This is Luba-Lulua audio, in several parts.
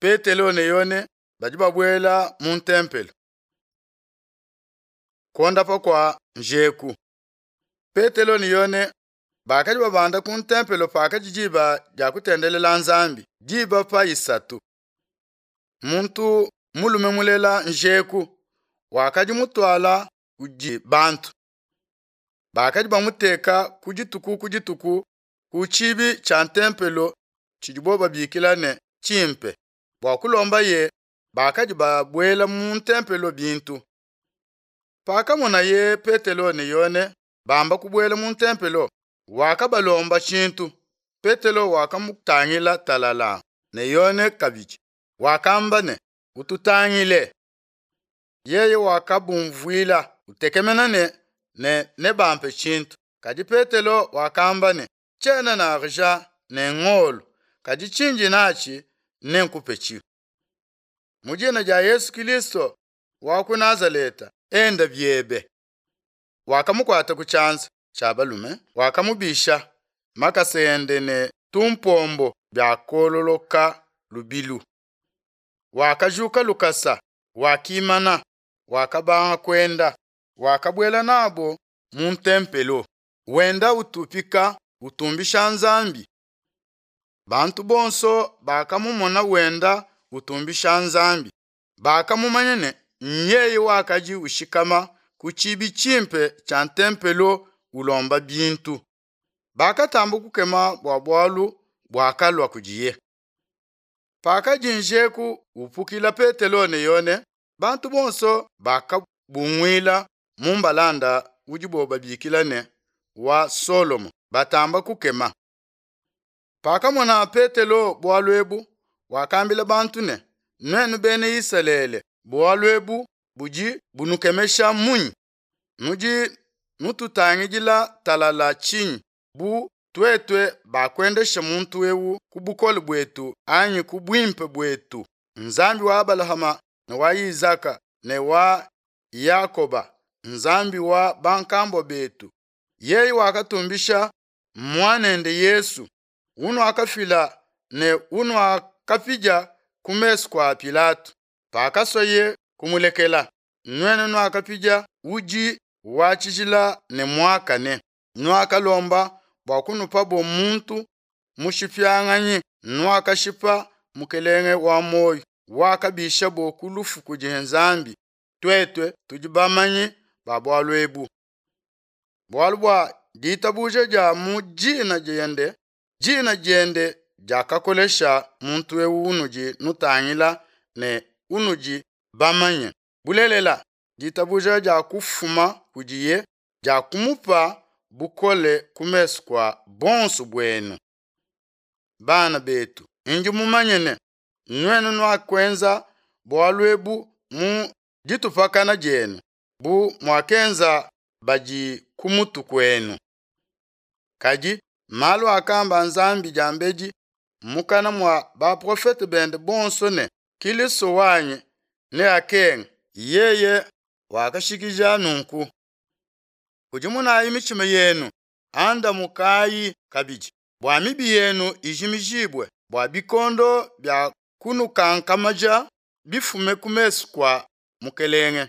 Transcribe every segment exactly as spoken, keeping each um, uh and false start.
Petelo ne Yone badi babuela mu ntempelo. Kuondapa kua njeku. Petelo ne Yone bakadi babanda ku ntempelo pakadi diba dia kutendelela Nzambi, diba pa isatu. Muntu mulume mulela njeku wakadi mutuala kudi bantu. Bakadi bamuteka ku dituku ku dituku ku tshibi tshia ntempelo tshidibo babikila ne tshimpe bua kulombaye bakadi babuela mu ntempelo bintu. Pakamonaye Petelo ne Yone bamba kubuela mu ntempelo, wakabalomba tshintu. Petelo wakamutangila talala ne Yone kabidi. Wakamba ne, ututangile. Yeye wakabumvuila utekemena ne, ne nebampe tshintu. Kadi Petelo wakamba ne, tshiena ne argent ne ngolo, kadi tshindi natshi nenkupetshi. Mu dina dia Yesu Kilisto wa ku Nazaleta, enda biebe. Wakamukuata ku tshianza tshia balume, wakamubisha makasa ende ne tumpombo biakololoka lubilu. Wakajuka lukasa, wakimana, wakabanga kuenda, wakabuela nabo mu ntempelo, wenda utupika utumbisha Nzambi. Bantu bonso bakamumona wenda utumbisha Nzambi, bakamumanya ne nyeye wakadi ushikama ku tshibi tshimpe tshia ntempelo ulomba bintu. Bakatamba kukema bua bualu buakalua kudiye. Pakadi njeku upukila Petelo ne Yone, bantu bonso bakabunguila mu mbalanda udibo babikila ne wa Solomo, batamba kukema. Pakamona Petelo bualu ebu, wakambila bantu ne, nuenu bena Isalele, bualu ebu budi bunukemesha munyi? Nudi nututangidila talala tshinyi bu tuetue bakuendesha muntu ewu ku bukole buetu anyi ku buimpe buetu? Nzambi wa Abalahama ne wa Izaka ne wa Yakoba, Nzambi wa bankambua betu, yeye wakatumbisha muanende Yesu, unuakafila ne unuakapidia ku mesu kua Pilato, pakasoye kumulekela. Nuenu nuakapidia udi wa tshijila ne muakane, nuakalomba bua kunupabo muntu mushipianganyi, nuakashipa mukelenge wa muoyo, wakabishabo ku lufu kudi Nzambi. Tuetue tudi bamanyi ba bualu ebu. Bualu bua ditabuja dia mu dina diende, dina diende diakakolesha muntu ewu unudi nutangila ne unudi bamanye. Bulelela, ditabuja dia kufuma kudiye diakumupa bukole ku mesu kua bonso buenu. Bana betu, ndi mumanye ne nuenu nuakuenza bualu ebu mu ditupakana dienu, bu muakenza badi ku mutu kuenu. Kadi malu akamba Nzambi diambedi mukana mua baprofete bende bonso ne Kilisto wanyi neakenge, yeye wakashikija nunku. Kudimunayi mitshima yenu, andamukayi kabidi, bua mibi yenu ijimijibue, bua bikondo bia kunukankamaja bifume ku mesu kua Mukelenge,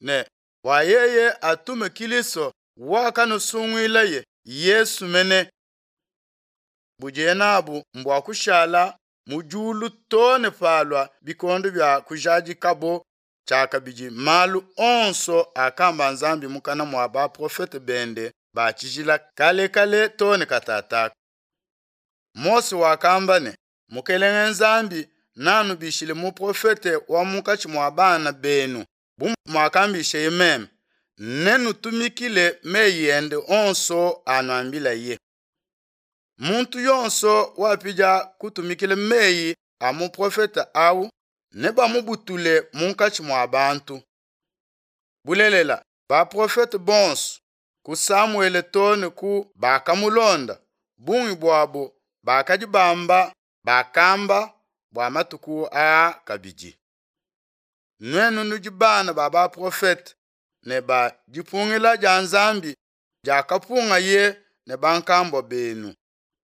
ne bua yeye atume Kilisto wakanusunguilaye, Yesu mene. Budiye nabu mbua kushala mu diulu too ne palua bikondo bia kujadikabo tshiakabidi malu onso akamba Nzambi mukana mua baprofete bende ba tshijila kale kale too ne katataka. Mose wakamba ne, Mukelenge Nzambi nanubishile muprofete wa munkatshi mua bana benu bu muakambisheye meme, nenutumikile meyi ende onso anuambilaye. Muntu yonso wapidia kutumikila meyi a muprofete awu nebamubutule munkatshi mua bantu. Bulelela, baprofete bonso ku Samuele too ne ku bakamulonda, bungi buabo bakadi bamba bakamba bua matuku aa kabidi. Nuenu nudi bana ba baprofete ne ba dipungila dia Nzambi diakapungaye ne bankambua benu.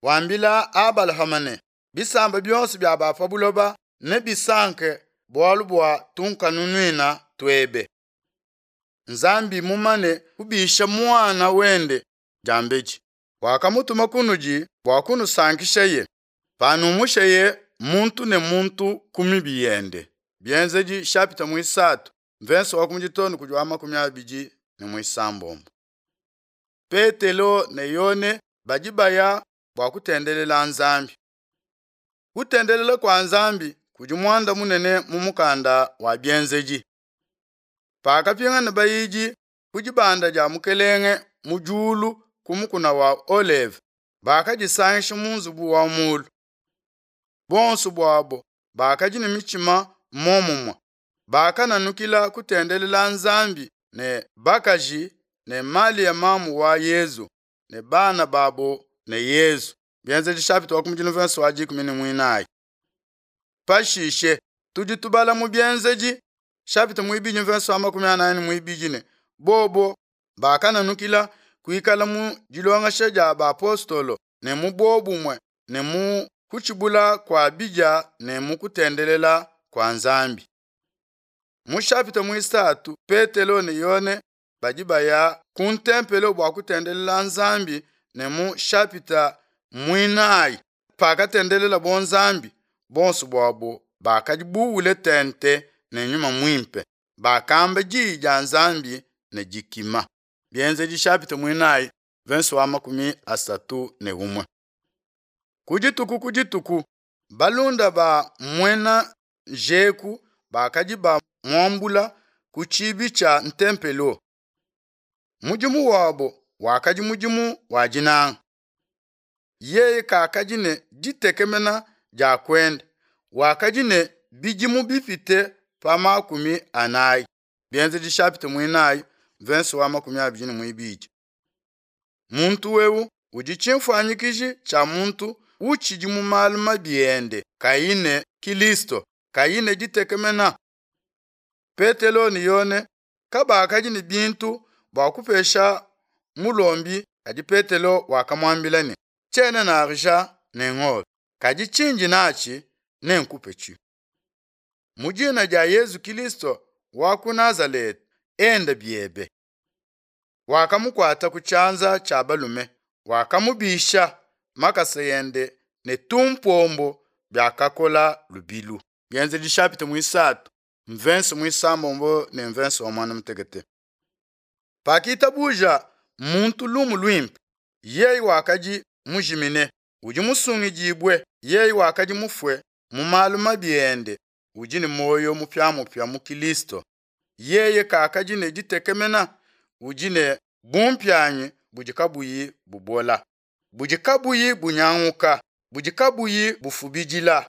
Wambila Abalahama ne, bisamba bionso bia ba pa buloba Nebisanke bualu bua tunkanunuina tuebe. Nzambi mumane kubisha muana wende diambedi, wakamutuma kunudi bua kunusankishaye, panumusheye muntu ne muntu ku mibi yende. Bienzedi chapitre muisatu mvenso wa kumi too ne kudi wa makumi abidi ne muisambombo. Petelo ne Yone badi baya bua kutendelela Nzambi. Kutendelela kua Nzambi kudi muanda munene mu mukanda wa Bienzedi. Pakapingana bayidi ku dibanda dia Mukelenge mu diulu ku mukuna wa Oleve, bakadisangisha mu nzubu wa mulu. Bonso buabo bakadi ne mitshima momumue, bakananukila kutendelela Nzambi ne bakaji ne Malia mamu wa Yezu ne bana babo ne Yezu. Bienzedi chapitre wa kumi verse wa dikumi ne muinayi. Pashishe tudi tubala mu Bienzedi chapitre muibidi verse wa makumi anayi ne muibidi ne bobo bakananukila kuikala mu dilongesha dia bapostolo ne mu bobumue ne mu kutshibula kua bidia ne mu kutendelela kua Nzambi. Mu chapitre muisatu Petelo ne Yone badi baya ku ntempelo bua kutendelela Nzambi ne mu chapitre muinayi pakatendelela bo Nzambi bonso buabo bakadi buwule tente ne nyuma muimpe bakamba diyi dia Nzambi ne dikima. Bienzedi chapitre muinayi verse wa makumi asatu ne umue. Ku dituku ku dituku balunda ba muena njeku bakadi bamuambula ku tshibi tshia ntempelo. Mudimu wabo wakadi mudimu wa dinanga. Yeye kakadi ne ditekemena dia kuenda, wakadi ne bidimu bipite pa makumi anayi. Bienzedi chapitre muinayi verse wa makumi abidi ne muibidi. Muntu wewu udi tshimfuanyikiji tshia muntu utshidi mu malu mabi ende kayi ne Kilisto, kayi ne ditekemena. Petelo ne Yone kabakadi ne bintu bua kupesha mulombi, kadi Petelo wakamuambila ne tshiena na argent ne ngolo, kadi tshindi natshi nenkupetshi. Mu dina dia Yezu Kilisto wa ku Nazaleta, enda biebe. Wakamukuata ku tshianza tshia balume, wakamubisha makasa ende ne tumpombo biakakola lubilu. Bienzedi chapitre muisatu mvense muisambombo ne mvense wa mwana mutekete. Pakitabuja muntu lumu luimpe, yeye wakadi mujimine, udi musungidibue, yeye wakadi mufue mu malu mabi ende, udi ne muoyo mupiamupia mu Kilisto. Yeye kakadi ne ditekemena, udi ne bumpianyi budi kabuyi bubola, budi kabuyi bunyanguka, budi kabuyi bufubidila,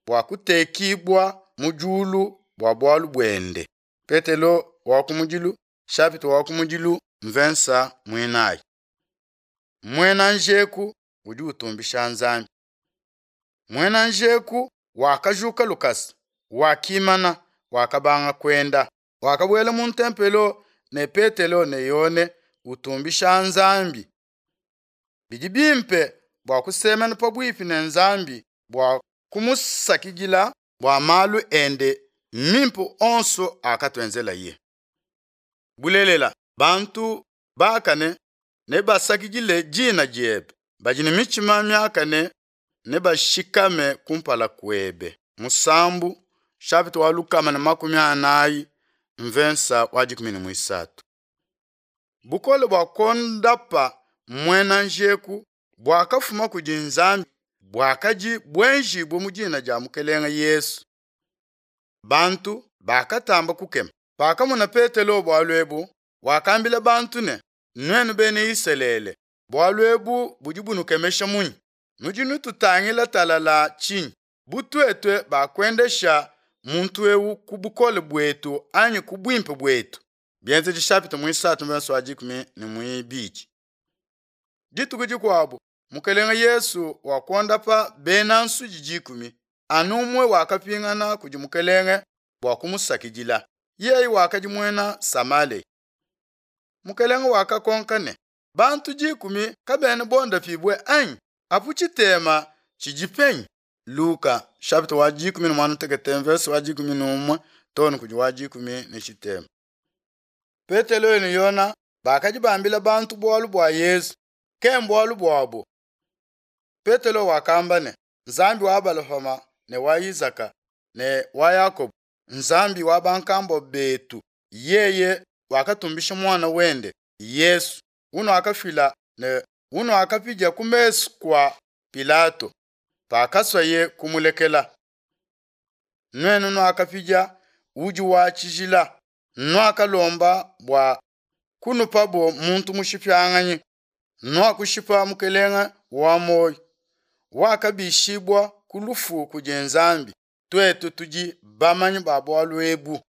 bua kutekibua mu diulu bua bualu buende. Petelo wa kumudilu chapitre wa kumudilu mvensa muinayi. Muena njeku udi utumbisha Nzambi. Muena njeku wakajuka lukasa, wakimana, wakabanga kuenda, wakabuela mu ntempelo ne Petelo ne Yone utumbisha Nzambi. Bidi bimpe bua kusemena pabuipi ne Nzambi bua kumusakidila bua malu ende mimpe onso akatuenzelaye. Bulelela, bantu bakane nebasakidile dina diebe, badi ne mitshima miakane nebashikame kumpala kuebe. Musambu chapitre wa lukama na makumi anayi mvensa wa dikumi ne muisatu. Bukole bua kondapa muena njeku buakafuma kudi Nzambi buakadi buenjibue mu dina dia Mukelenge Yesu. Bantu bakatamba kukema. Pakamona Petelo bualu ebu, wakambila bantu ne, nuenu bena Isalele, bualu ebu budi bunukemesha munyi? Nudi nututangila talala tshinyi? Bu tuetue bakuendesha muntu ewu ku bukole buetu anyi ku buimpe buetu? Bienzedi chapitre muisatu verse wa dikumi ne muibidi. Dituku dikuabu Mukelenge Yesu wakondapa bena nsudi dikumi, anu umue wakapingana kudi Mukelenge bua kumusakidila. Yeye wakadi muena Samalea. Mukelenge wakakonka ne, bantu dikumi kabena bondapibue anyi? Apu tshitema tshidi penyi? Luka chapitre wa dikumi ne muanda mutekete verse wa dikumi ne umue too ne kudi wa dikumi ne tshitema. Petelo ne Yona bakadi bambila bantu bualu bua Yesu, ke mbualu buabo. Petelo wakamba ne, Nzambi wa Abalahama ne wa Isaka ne wa Yakobo, Nzambi wa bankambua betu, yeye wakatumbisha muana wende Yesu, unuakafila ne unuakapidia ku mesu kua Pilato pakaswaye kumulekela. Nuenu nuakapidia udi wa tshijila, nuakalomba bua kunupabo muntu mushipianganyi, nuakushipa mukelenge wa muoyo, wakabishibua ku lufu kudi Nzambi. Tuetu tudi bamanyi ba bualu ebu.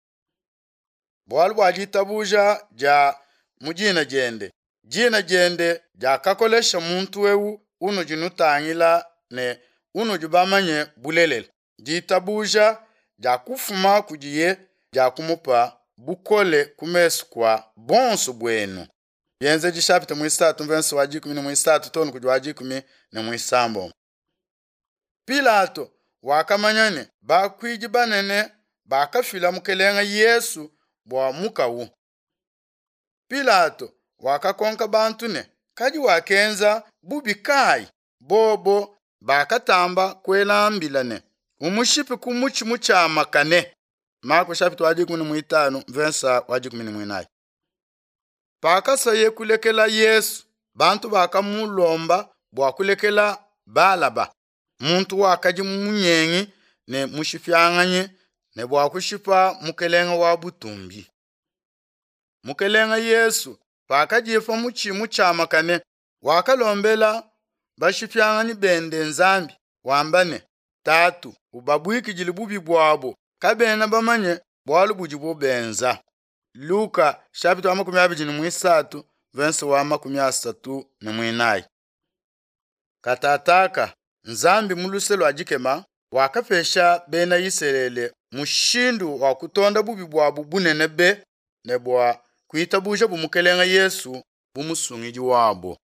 Bualu bua ditabuja dia mu dina diende, dina diende diakakolesha muntu ewu unudi nutangila ne unudi bamanye bulelela. Ditabuja dia kufuma kudiye dia kumupa bukole ku mesu kua bonso buenu. Bienzedi chapitre muisatu verse wa dikumi ne muisatu too ne kudi wa dikumi ne muisambombo. Pilato wakamanya ne bakuidi banene bakafila mukelenge Yesu bua mukawu. Pilato wakakonka bantu ne kadi wakenza bubi kayi? Bobo bakatamba kuela mbila ne umushipe ku mutshi mutshiamakane. Marko chapitre wa dikumi ne muitanu verse wa dikumi ne muinayi. Pakasaye kulekela Yesu, bantu bakamulomba bua kulekela Balaba, muntu wakadi munyengi ne mushipianganyi ne bua kushipa mukelenge wa butumbi. Mukelenge Yesu pakadiye pa mutshi mutshiamakane wakalombela bashipianganyi bende Nzambi wamba ne, Tatu, ubabuikidile bubi buabo, kabena bamanye bualu budibo benza. Luka chapitre wa makumi abidi ne muisatu verse wa makumi asatu ne muinayi. Katataka Nzambi mu luse lua dikema wakapesha bena Isalele mushindu wa kutonda bubi buabu bunene be ne bua kuitabuja bu mukelenge Yesu bu musungidi wabo.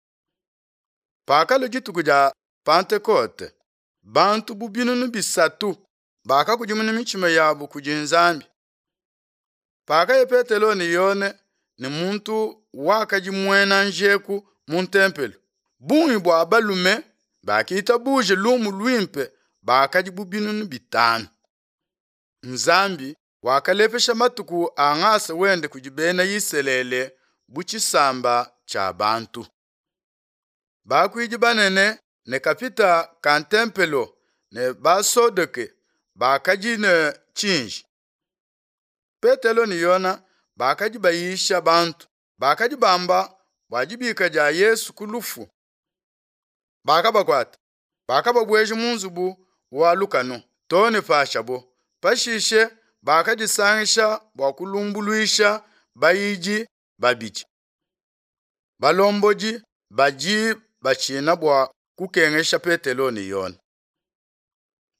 Pakalua dituku dia Pentekote, bantu bu binunu bisatu bakakudimuna mitshima yabo kudi Nzambi. Pakaya Petelo ne Yone ne muntu wakadi muena njeku mu ntempelo, bungi bua balume bakitabuje lumu luimpe bakadi bu binunu bitanu. Nzambi wakalepesha matuku a ngasa wende kudi bena Isalele bu tshisamba tshia bantu. Bakuidi banene ne kapita ka ntempelo ne basodoke bakadi ne tshinji. Petelo ne Yona bakadi bayisha bantu, bakadi bamba bua dibika dia Yesu ku lufu. Bakabakuata, bakababueja mu nzubu wa lukanu too ne pashabo. Pashishe bakadisangisha bua kulumbuluisha bayidi babidi. Balombodi badi batshina bua kukengesha Petelo ne Yona.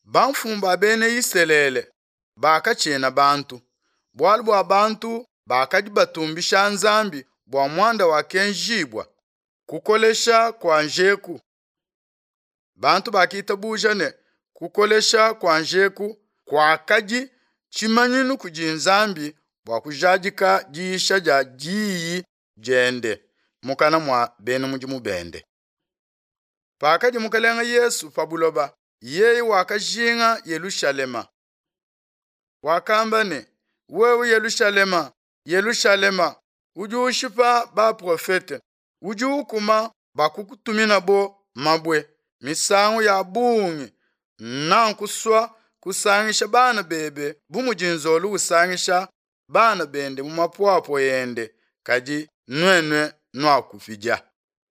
Bamfumu ba bena Isalele bakatshina bantu, bualu bua bantu bakadi batumbisha Nzambi bua muanda wakenjibua kukolesha kua njeku. Bantu bakitabuja ne kukolesha kua njeku kuakadi tshimanyinu kudi Nzambi bua kujadika diyisha dia diyi diende mukana mua bena mudimu bende. Pakadi mukelenge Yesu pa buloba, yeye wakajinga Yelushalema. Wakamba ne, wewe Yelushalema, Yelushalema, udi ushipa baprofete, udi ukuma bakukutuminabo mabue misangu ya bungi, nankusua kusangisha bana bebe bu mudi nzolu usangisha bana bende mu mapuapua ende, kadi nuenu nuakupidia.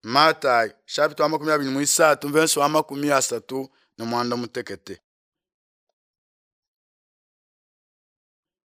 Matayi chapitre wa makumi abidi ne muisatu verse wa makumi asatu ne muanda mutekete.